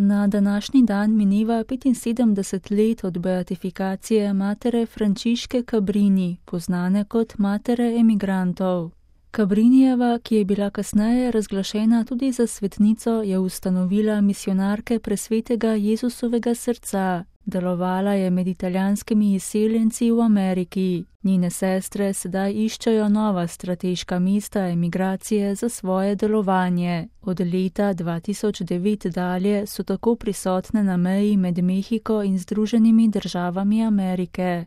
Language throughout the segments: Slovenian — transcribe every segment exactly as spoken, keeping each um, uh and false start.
Na današnji dan mineva petinsedemdeset let od beatifikacije matere Frančiške Cabrini, poznane kot matere emigrantov. Cabrinijeva, ki je bila kasneje razglašena tudi za svetnico, je ustanovila misijonarke Presvetega Jezusovega srca. Delovala je med italijanskimi izseljenci v Ameriki. Njene sestre sedaj iščejo nova strateška mesta emigracije za svoje delovanje. Od leta dva tisoč devet dalje so tako prisotne na meji med Mehiko in Združenimi državami Amerike.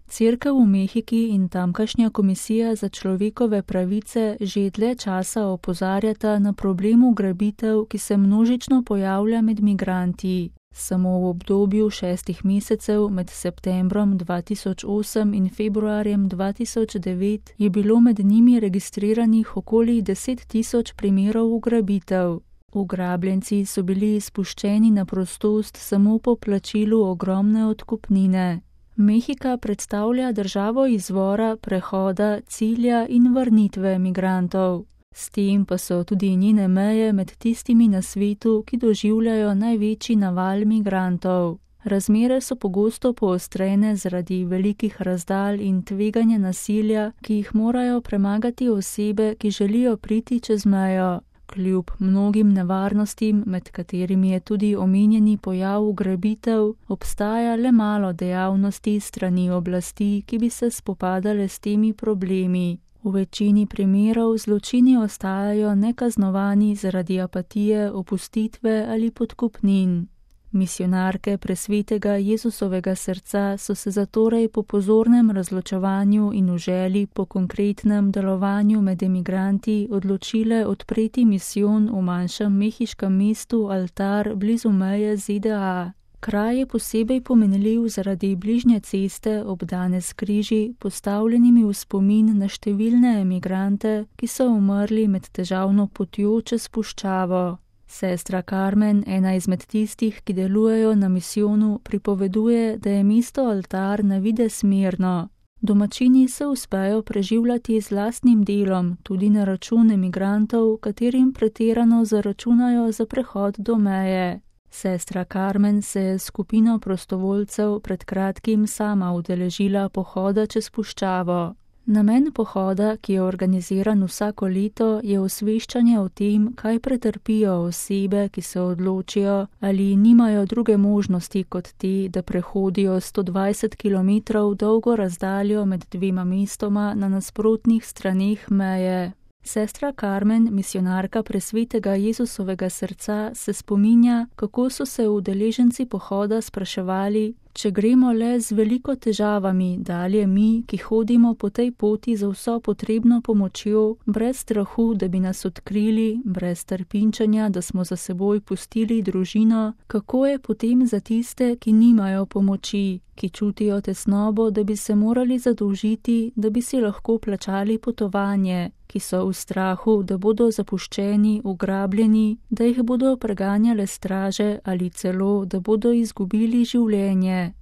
Cerkev v Mehiki in tamkajšnja komisija za človekove pravice že dlje časa opozarjata na problem ugrabitev, ki se množično pojavlja med migranti. Samo v obdobju šestih mesecev med septembrom dva tisoč osem in februarjem dva tisoč devet je bilo med njimi registriranih okoli deset tisoč primerov ugrabitev. Ugrabljenci so bili izpuščeni na prostost samo po plačilu ogromne odkupnine. Mehika predstavlja državo izvora, prehoda, cilja in vrnitve migrantov. S tem pa so tudi njene meje med tistimi na svetu, ki doživljajo največji naval migrantov. Razmere so pogosto poostrene zaradi velikih razdalj in tveganja nasilja, ki jih morajo premagati osebe, ki želijo priti čez mejo. Kljub mnogim nevarnostim, med katerimi je tudi omenjeni pojav ugrabitev, obstaja le malo dejavnosti strani oblasti, ki bi se spopadale s temi problemi. V večini primerov zločini ostajajo nekaznovani zaradi apatije, opustitve ali podkupnin. Misijonarke Presvetega Jezusovega srca so se zatorej po pozornem razločevanju in v želji po konkretnem delovanju med emigranti odločile odpreti misijon v manjšem mehiškem mestu Altar blizu meje Z D A. Kraj je posebej pomenljiv zaradi bližnje ceste, obdane s križi, postavljenimi v spomin na številne emigrante, ki so umrli med težavno potjo čez puščavo. Sestra Carmen, ena izmed tistih, ki delujejo na misijonu, pripoveduje, da je mesto Altar na videz mirno. Domačini se uspejo preživljati z lastnim delom, tudi na račun emigrantov, katerim pretirano zaračunajo za prehod do meje. Sestra Carmen se je s skupino prostovoljcev pred kratkim sama udeležila pohoda čez puščavo. Namen pohoda, ki je organiziran vsako leto, je osveščanje o tem, kaj pretrpijo osebe, ki se odločijo ali nimajo druge možnosti kot te, da prehodijo sto dvajset kilometrov dolgo razdaljo med dvema mestoma na nasprotnih straneh meje. Sestra Carmen, misijonarka Presvetega Jezusovega srca, se spominja, kako so se udeleženci pohoda spraševali, če gremo le z veliko težavami, dalje mi, ki hodimo po tej poti za vso potrebno pomočjo, brez strahu, da bi nas odkrili, brez trpinčenja, da smo za seboj pustili družino, kako je potem za tiste, ki nimajo pomoči, ki čutijo tesnobo, da bi se morali zadolžiti, da bi si lahko plačali potovanje, ki so v strahu, da bodo zapuščeni, ugrabljeni, da jih bodo preganjale straže ali celo, da bodo izgubili življenje.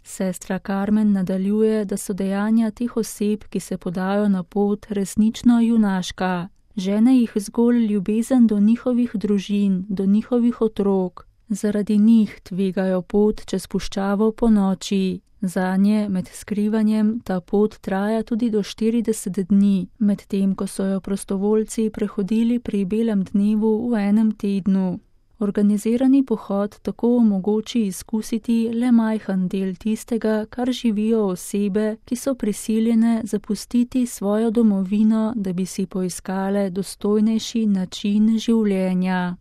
Sestra Carmen nadaljuje, da so dejanja teh oseb, ki se podajo na pot, resnično junaška. Žene jih zgolj ljubezen do njihovih družin, do njihovih otrok. Zaradi njih tvegajo pot čez puščavo po noči. Zanje med skrivanjem ta pot traja tudi do štirideset dni, medtem ko so jo prostovoljci prehodili pri belem dnevu v enem tednu. Organizirani pohod tako omogoči izkusiti le majhen del tistega, kar živijo osebe, ki so prisiljene zapustiti svojo domovino, da bi si poiskale dostojnejši način življenja.